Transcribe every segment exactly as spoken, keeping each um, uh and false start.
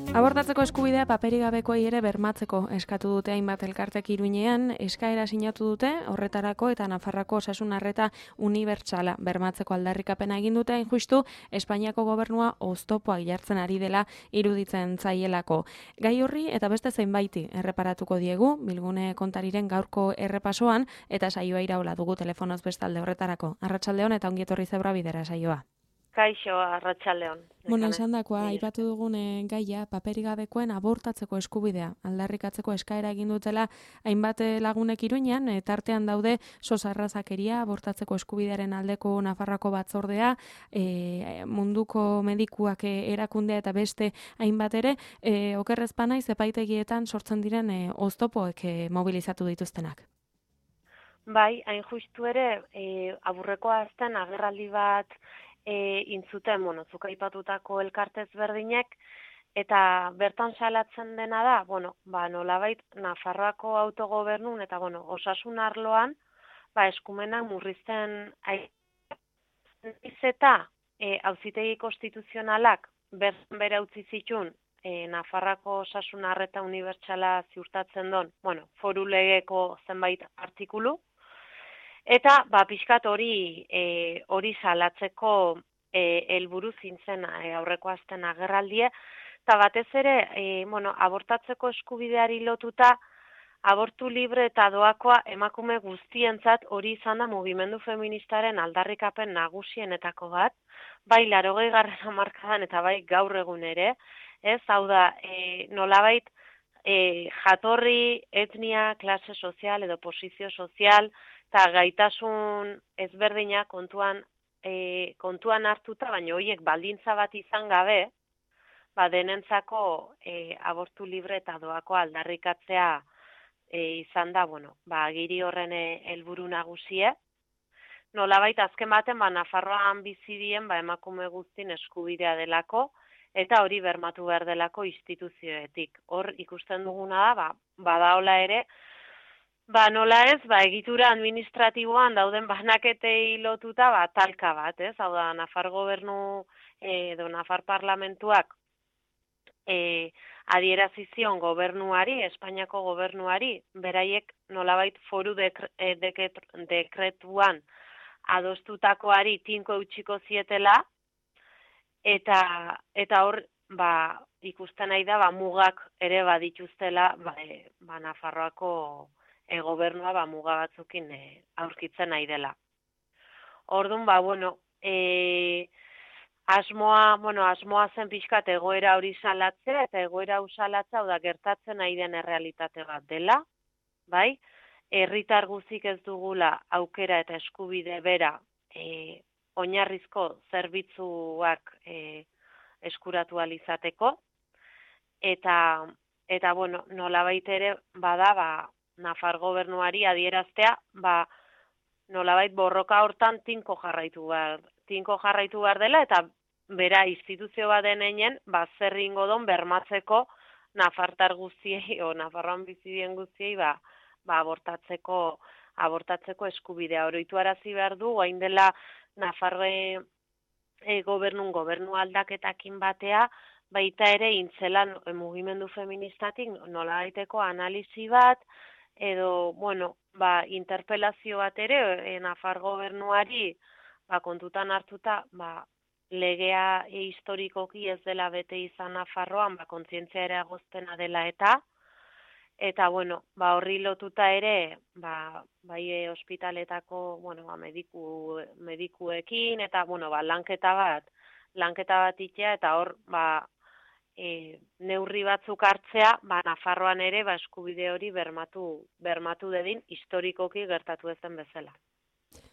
Abortatzeko eskubidea paperik gabekoei ere bermatzeko eskatu dute hainbat elkartek Iruñean, eskaera sinatu dute horretarako eta Nafarroako osasun arreta unibertsala bermatzeko aldarrikapena egin dute, hain justu Espainiako gobernua oztopoak jartzen ari dela iruditzen zaielako. Gai horri eta beste zeinbaiti erreparatuko diegu Bilgune kontariren gaurko errepasoan eta saioa iraola dugu telefonoz bestalde horretarako. Arratsaldeon eta ongi etorri Zebra Bidera saioa. Kaixo, arratsaldeon. Bueno, esan dakoa, aipatu dugun gaia, paperik gabekoen abortatzeko eskubidea, aldarrikatzeko eskaera egin dutela hainbat lagunek Iruñean, tartean daude sos arrazakeria, abortatzeko eskubidearen aldeko Nafarroako batzordea, e, munduko medikuak erakundea eta beste hainbat ere, e, okerrezpa naiz epaitegietan sortzen diren e, oztopoek e, mobilizatu dituztenak. Bai, hain justu ere, e, aburreko azten agerraldi bat E, intzuten, bueno, zuk aipatutako elkartez berdinek, eta bertan salatzen dena da, bueno, ba, nolabait, Nafarroako autogobernun, eta, bueno, osasun arloan, ba, eskumenak murrizten aiz eta e, auzitegi konstituzionalak bertan bere utzi zitun, e, Nafarroako osasun arreta unibertsala ziurtatzen don, bueno, foru legeko zenbait artikulu, eta ba pixkat hori e, hori salatzeko e, helburu zintzen e, aurreko azten agerraldie, eta batez ere, e, bueno, abortatzeko eskubideari lotuta, abortu libre eta doakoa emakume guztientzat hori izan da mugimendu feministaren aldarrikapen nagusienetako bat, bai laurogei garren hamarkadan eta bai gaur egun ere, ez, hau da, e, nolabait e, jatorri, etnia, klase sozial edo posizio sozial, eta gaitasun ezberdina kontuan, e, kontuan hartuta, baina horiek baldintza bat izan gabe, ba denentzako e, abortu libre eta doako aldarrikatzea e, izan da, bueno, ba agiri horren helburu nagusie. Nolabait azken baten, ba Nafarroan bizi dien, ba emakume guztien eskubidea delako, eta hori bermatu behar delako instituzioetik. Hor ikusten duguna da, ba, badaola ere, Ba, nola ez, ba, egitura administratiboan dauden banaketei lotuta, ba, talka bat, ez? Hau da, Nafar gobernu edo Nafar parlamentuak e, adierazizion gobernuari, Espainiako gobernuari, beraiek nolabait foru dekre, deket, dekretuan adostutakoari tinko eutxiko zietela, eta, eta hor, ba, ikusten nahi da, ba, mugak ere badituztela, ba, e, ba Nafarroako E, gobernua ba, muga batzukin e, aurkitzen nahi dela. Orduan, ba, bueno, e, asmoa, bueno, asmoa zen pixkat egoera hori salatzea, eta egoera hori salatzea, da gertatzen nahi den errealitate bat dela, bai? Herritar guzik ez dugula aukera eta eskubide bera e, oinarrizko zerbitzuak e, eskuratu alizateko, eta, eta bueno, nolabait ere bada, ba, Nafar gobernuari adieraztea, ba, nolabait borroka hortan tinko jarraitu behar, tinko jarraitu behar dela, eta bera instituzio bat deneinen, ba, zer ingo don bermatzeko Nafartar guztiei, o Nafarroan bizidien guztiei, ba, ba, abortatzeko, abortatzeko eskubidea. Oroitu arazi behar du, hain dela Nafarre e, gobernun, gobernu aldaketakin batea, baita ere intzelan e, mugimendu feministatik nola daiteko analizi bat, edo, bueno, ba, interpelazio bat ere, e, Nafar gobernuari, ba, kontutan hartuta, ba, legea e, historikoki ez dela bete izan Nafarroan, ba, kontzientzia ere agoztena dela eta, eta, bueno, ba, horri lotuta ere, ba, bai e, ospitaletako, bueno, ba, mediku, medikuekin, eta, bueno, ba, lanketa bat, lanketa bat itea, eta hor, ba, E, neurri batzuk hartzea, ba, Nafarroan ere ba, eskubide hori bermatu, bermatu dedin historikoki gertatu ezen bezala.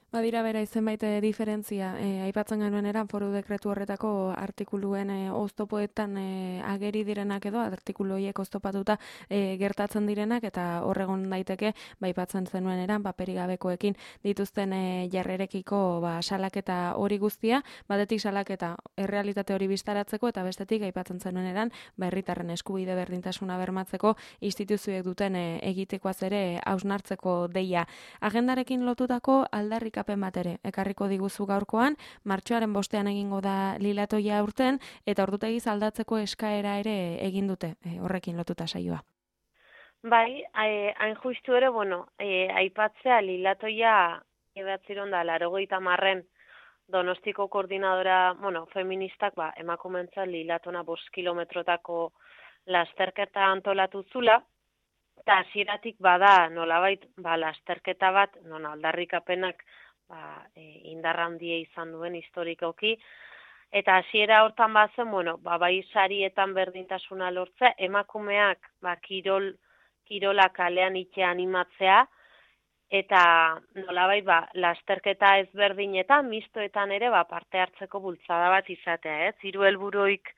Badira bera izenbait diferentzia, e, aipatzen genuen eran foru dekretu horretako artikuluen e, oztopoetan e, ageri direnak edo, artikulu horiek oztopatuta e, gertatzen direnak, eta horregon daiteke, ba, aipatzen zenuen eran, paperik gabekoekin dituzten e, jarrerekiko ba, salaketa hori guztia, batetik salaketa errealitate hori bistaratzeko, eta bestetik aipatzen zenuen eran, ba, herritarren eskubide berdintasuna bermatzeko instituzioek duten e, egitekoaz ere hausnartzeko deia. Agendarekin lotutako aldarrik aldarrikapen bat ere ekarriko diguzu gaurkoan, martxoaren bostean egingo da lilatoia aurten, eta ordutegiz aldatzeko eskaera ere egin dute, e, horrekin lotuta saioa. Bai, hain justu ere, bueno, e, aipatzea lilatoia ebatziron da, larogeita marren Donostiko koordinadora, bueno, feministak, ba, emakumentza lilatona bost kilometrotako lasterketa antolatu zula, eta hasieratik bada nolabait ba, lasterketa bat, non aldarrikapenak ba, e, indar handia izan duen historikoki, eta hasiera hortan bazen, bueno, ba, bai sarietan berdintasuna lortzea, emakumeak ba, kirol, kirola kalean itxe animatzea, eta nolabait ba, lasterketa ezberdinetan, mistoetan ere ba, parte hartzeko bultzada bat izatea, ez? Hiru helburuik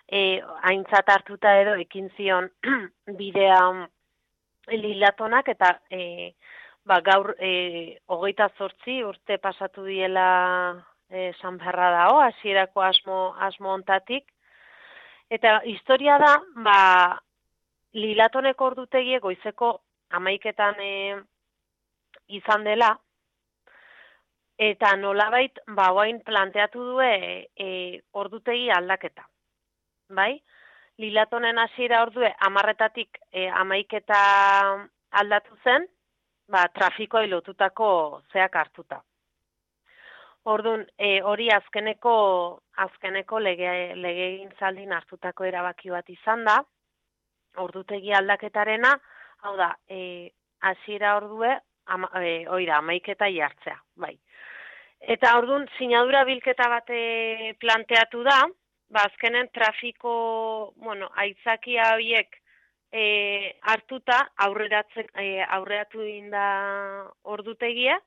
e, aintzat hartuta edo ekin zion bidea lilatonak, eta e, ba, gaur e, hogeita zortzi urte pasatu diela e, San Beharra dao, hasierako asmo, asmo ontatik, eta historia da, ba, lilatoneko ordutegie goizeko hamaiketan e, izan dela, eta nolabait, ba, oain planteatu due e, ordutegi aldaketa. Bai? Lilatonen hasiera ordue, amarretatik e, amaiketa aldatu zen, ba, trafikoa lotutako zeak hartuta. Orduan, e, hori azkeneko, azkeneko lege, legegintzaldin hartutako erabaki bat izan da, ordutegi aldaketarena, hau da, e, hasiera ordue, Ama, e, oira, amaiketa jartzea, bai. Eta orduan, sinadura bilketa bate planteatu da, ba, azkenen trafiko, bueno, aitzakia horiek e, hartuta aurreratzen, e, aurreratu inda ordutegia,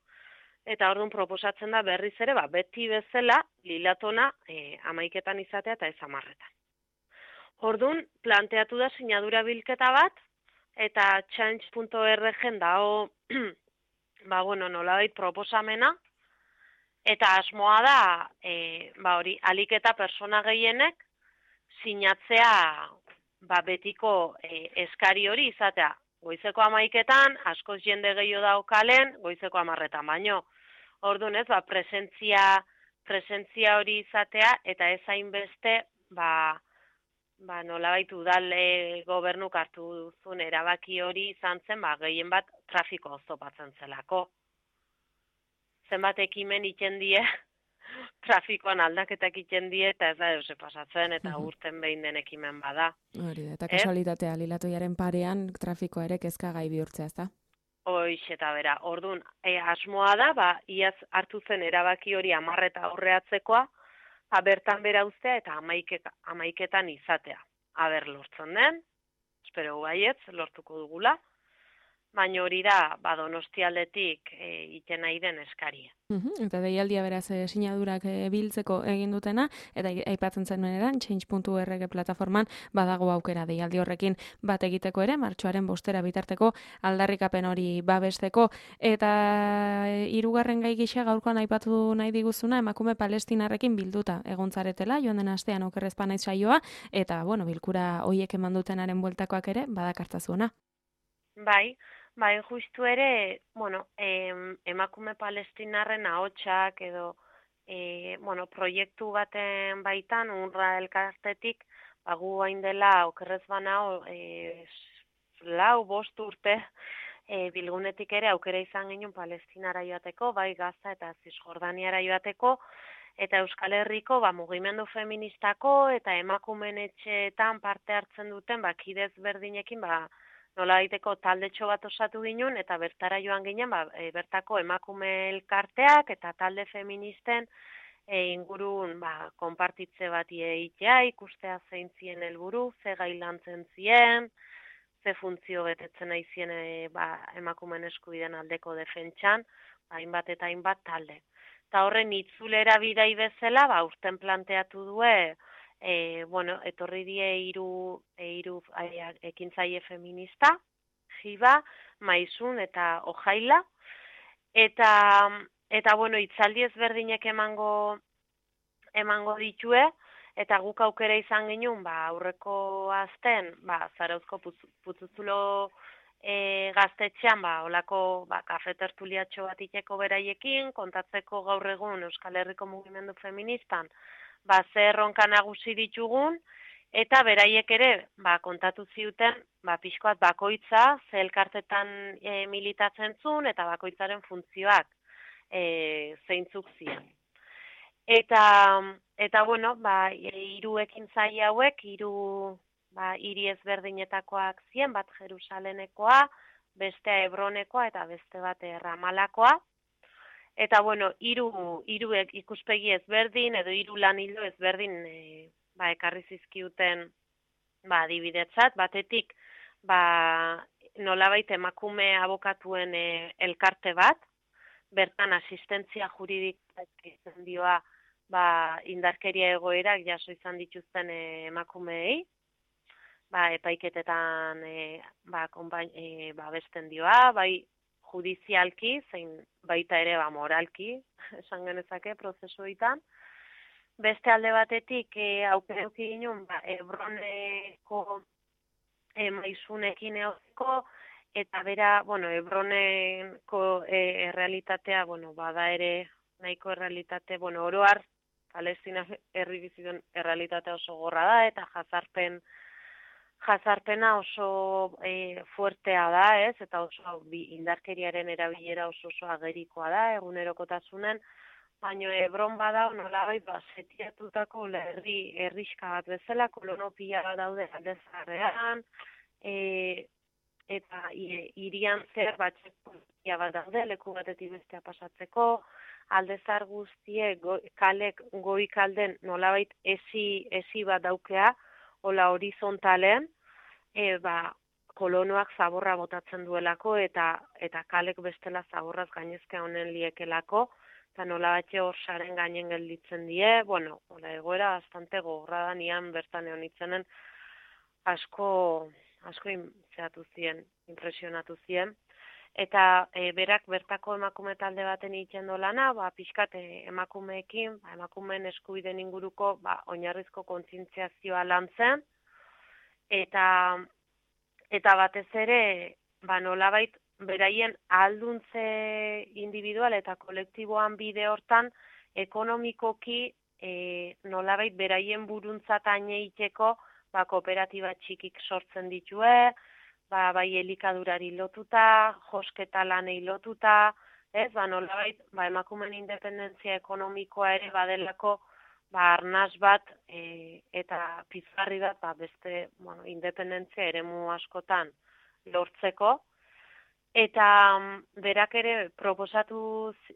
eta orduan proposatzen da berriz ere, ba, beti bezala, lilatona e, amaiketan izatea eta ez amarretan. Orduan, planteatu da sinadura bilketa bat, eta change punto org dao ba, bueno, nolabait proposamena, eta asmoa da, e, ba, hori, alik eta persona gehienek sinatzea ba, betiko e, eskari hori izatea. Goizeko amaiketan, askoz jende gehiago daukalen, goizeko amarretan, baino. Orduan ez, ba, presentzia, presentzia hori izatea, eta ez hainbeste, ba, ba, nolabait udale gobernuk hartu duzun erabaki hori izan zen, ba, gehien bat trafiko oztopatzen zelako. Zenbat ekimen iten die, trafikoan aldaketak iten die, eta ez da euse pasatzen, eta uh-huh. urten behin den ekimen bada. Hori da, eta kasualitatea, lilatoiaren parean trafikoa ere kezkagai bihurtzea, ez da? Hoiz, eta bera, orduan, e, asmoa da, ba, iaz hartu zen erabaki hori amarreta aurreatzekoa, ba, bertan bera uztea eta amaiketa, amaiketan izatea. Aber lortzen den, espero baietz, lortuko dugula, baina hori da, ba, Donostialdetik e, iten nahi den eskaria. Uhum, eta deialdia beraz e, sinadurak e, biltzeko egin dutena, eta aipatzen zenuen eran, change punto org plataforman badago aukera deialdi horrekin bat egiteko ere, martxoaren bostera bitarteko aldarrikapen hori babesteko, eta e, hirugarren gai gisa gaurkoan aipatu nahi diguzuna, emakume palestinarrekin bilduta egontzaretela, joan den astean okerrezpa naiz saioa, eta, bueno, bilkura hoiek eman dutenaren bueltakoak ere, badakartazuena. Bai, bai, justu ere, bueno, em, emakume palestinarren ahotsak edo, e, bueno, proiektu baten baitan, unra elkartetik, bagu hain dela, okerrez banao, e, lau, bost urte, e, bilgunetik ere aukera izan genuen Palestinara joateko, bai Gaza eta Zisjordaniara joateko, eta Euskal Herriko, ba, mugimendu feministako eta emakumeen etxeetan parte hartzen duten, ba, kidez berdinekin, ba, nola daiteko taldetxo bat osatu ginen, eta bertara joan ginen, ba, e, bertako emakume elkarteak eta talde feministen e, ingurun ba, konpartitze bat egitea, ikustea zein zien helburu, ze gai lantzen zien, ze funtzio betetzen nahi zien e, ba, emakumeen eskubideen aldeko defentsan, ba, hainbat eta hainbat talde. Eta horren itzulera bidai bezala, ba, urten planteatu due, E, bueno, etorri die hiru hiru ekintzaile feminista, Jiba, Maizun eta Ojaila, eta eta bueno, hitzaldi ezberdinek emango emango ditue, eta guk aukera izan genuen, ba, aurreko azten, ba, Zarauzko putzuzulo e, gaztetxean, ba, olako ba, kafe tertuliatxo bat iteko beraiekin, kontatzeko gaur egun Euskal Herriko mugimendu feministan, ba, zer erronka nagusi ditugun, eta beraiek ere, ba, kontatu ziuten, ba, pixkoat bakoitza, ze elkartetan e, militatzen zuen, eta bakoitzaren funtzioak e, zeintzuk ziren. Eta, eta bueno, ba, hiru ekintzai hauek, hiru ba, hiri ezberdinetakoak ziren, bat Jerusalenekoa, bestea Hebronekoa eta beste bat Ramalakoa. Eta bueno, hiru hiru ikuspegi ezberdin edo hiru lan ildo ezberdin e, ba, ekarri zizkiuten ba, adibidetzat, batetik ba, nolabait emakume abokatuen e, elkarte bat, bertan asistentzia juridikoa izan dioa ba, indarkeria egoerak jaso izan dituzten e, emakumeei, ba, epaiketetan e, ba, konbain, e, ba, besten dioa, bai judizialki, zein baita ere ba, moralki, esan genezake, prozesuetan. Beste alde batetik, e, aukereuki ginen, ba, Hebroneko e, maizunekin eoziko, eta bera, bueno, Hebroneko e, errealitatea, bueno, bada ere nahiko errealitate, bueno, oroar, Palestina herri bizituen errealitatea oso gorra da, eta jazarpen, jazarpena oso e, fuertea da, ez? Eta oso bi, indarkeriaren erabilera oso oso agerikoa da, egunerokotasunen, baina Hebron bada, nolabait, ba, setiatutako herri herriska bat bezala, kolonopia bat daude alde zaharrean, e, eta hirian zer batxekoia bat daude, leku batetik bestea pasatzeko, aldezar guztie go, kalek goikalden nolabait esi, esi bat daukea, hola horizontalen, e, ba, kolonoak zaborra botatzen duelako eta eta kalek bestela zaborraz gainezka honen liekelako, eta nola batxe hor saren gainen gelditzen die, bueno, hola egoera bastante gogorra da nian bertan egon itzenen asko, asko zeatu zien, impresionatu zien. Eta e, berak bertako emakume talde baten egiten lana, ba, pixkat e, emakumeekin, ba, emakumeen eskubideen inguruko ba, oinarrizko kontzientziazioa lantzen, eta, eta batez ere, ba, nolabait, beraien ahalduntze individual eta kolektiboan bide hortan, ekonomikoki e, nolabait beraien buruntzat aineiteko ba, kooperatiba txikik sortzen ditue, ba, bai elikadurari lotuta, josketa lanei lotuta, ez, ba, nolabait, ba, emakumen independentzia ekonomikoa ere badelako, ba, arnaz bat, e, eta pizgarri bat, ba, beste, bueno, independentzia eremu askotan lortzeko, eta berak ere proposatu,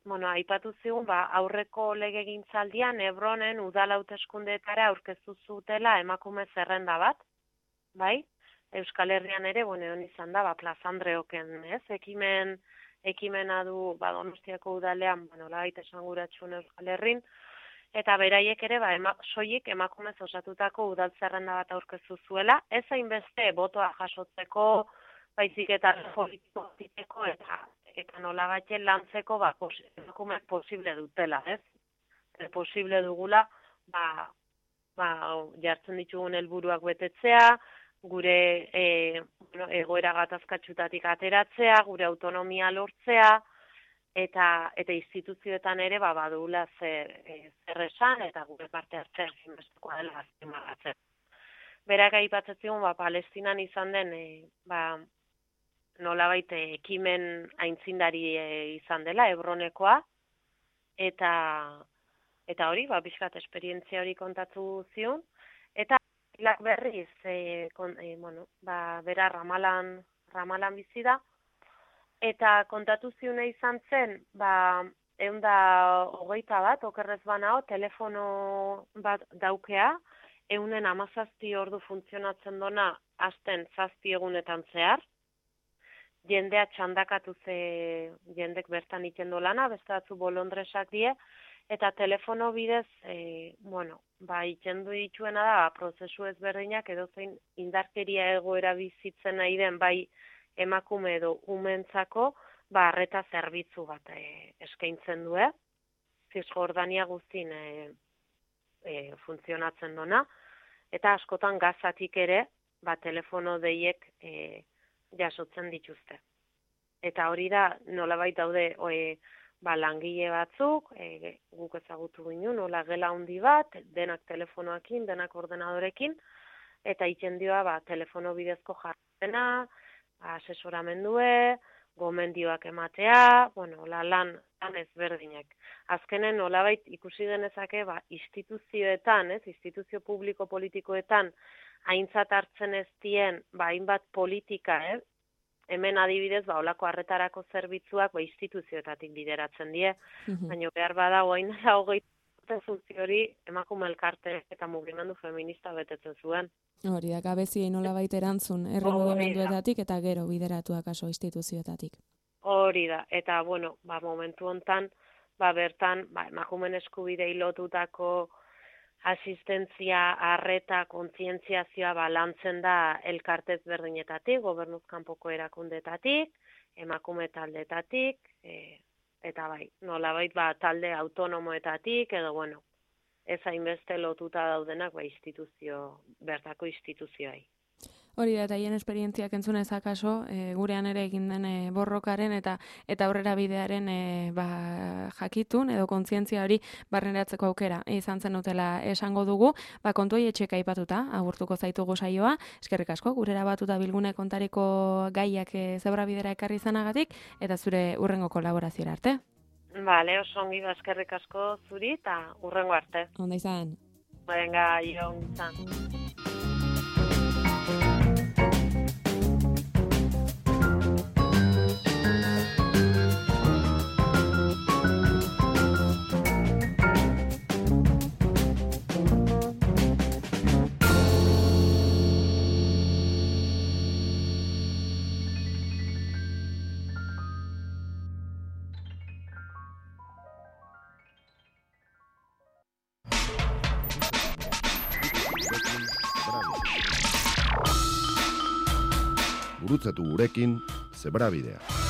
bueno, aipatu zigun, ba, aurreko legegintzaldian Hebronen udal hauteskundeetara aurkeztu zutela emakume zerrenda bat, bai? Euskal Herrian ere, bueno, hon izan da, ba, Plaza Andreoken, ez? Ekimen, ekimena du, ba, Donostiako udalean, bueno, labait esanguratxun Euskal Herrin, eta beraiek ere, ba, ema, soilik emakumez osatutako udal zerrenda bat aurkeztu zuela, ez hainbeste botoa jasotzeko, baizik eta politiko eta, eta nola batzen lantzeko, ba, pos, emakumeak posible dutela, ez? E, posible dugula, ba, ba, jartzen ditugun helburuak betetzea, gure e, bueno, egoera gatazkatxutatik ateratzea, gure autonomia lortzea, eta eta instituzioetan ere ba, badugula zer, e, zer esan, eta gure parte hartzea ezinbestekoa dela azpimarratzen. Berak aipatzen zigun, ba, Palestinan izan den, e, ba, nolabait ekimen aintzindari e, izan dela, Hebronekoa, eta eta hori, ba, bizkat esperientzia hori kontatu zion, eta Lak berriz, e, kon, e, bueno, ba, bera Ramalan, Ramalan bizi da, eta kontatu ziune izan zen, ba, ehun da hogeita bat, okerrez banao, telefono bat daukea, ehunen hamazazpi ordu funtzionatzen dona, hasten zazpi egunetan zehar, jendea txandakatu ze jendek bertan iten lana, beste batzu bolondresak die, eta telefono bidez, e, bueno, ba, ikendu dituena da, prozesu ezberdinak edo zein indarkeria egoera bizitzen nahi den, bai emakume edo umentzako, ba, arreta zerbitzu bat e, eskaintzen du, Cisjordania guztin e, e, funtzionatzen dona, eta askotan gazatik ere, ba, telefono deiek e, jasotzen dituzte. Eta hori da, nolabait daude, oe, ba, langile batzuk, e, guk ezagutu ginen, nola gela handi bat, denak telefonoekin, denak ordenadorekin, eta itxendioa, ba, telefono bidezko jarrena, asesoramendue, gomendioak ematea, bueno, la lan, lan ezberdinak. Azkenen nolabait ikusi genezake, ba, instituzioetan, ez, instituzio publiko politikoetan, aintzat hartzen ez dien, ba, hainbat politika, ez, hemen adibidez, ba, olako arretarako zerbitzuak, ba, instituzioetatik bideratzen die, Mhm. baina behar bada, oain da, hogei funtzio hori emakume elkarte eta mugimendu feminista betetzen zuen. Hori da, gabeziei nolabait erantzun, herri Hori da. mugimenduetatik eta gero bideratuak aso instituzioetatik. Hori da, eta, bueno, ba, momentu hontan, ba, bertan, ba, emakumeen eskubidei lotutako asistentzia, arreta, kontzientziazioa ba, lantzen da elkartez berdinetatik, gobernuz kanpoko erakundetatik, emakume taldetatik, e, eta bai, nolabait ba, talde autonomoetatik, edo, bueno, ez hainbeste lotuta daudenak ba, instituzio, bertako instituzioai. Hori da, eta hien esperientziak entzunez akaso, e, gurean ere egin den e, borrokaren eta eta aurrera bidearen e, ba, jakitun edo kontzientzia hori barneratzeko aukera izan zen utela esango dugu, ba, kontuei etxeka aipatuta, agurtuko zaitugu saioa, eskerrik asko, gurera batuta bilgune kontariko gaiak e, zebra bidera ekarri izanagatik, eta zure urrengo kolaborazioa arte. Bale, oso ongi da eskerrik asko zuri, eta urrengo arte. Onda izan. Venga, jo, izan. Gurutzatu gurekin Zebrabidea.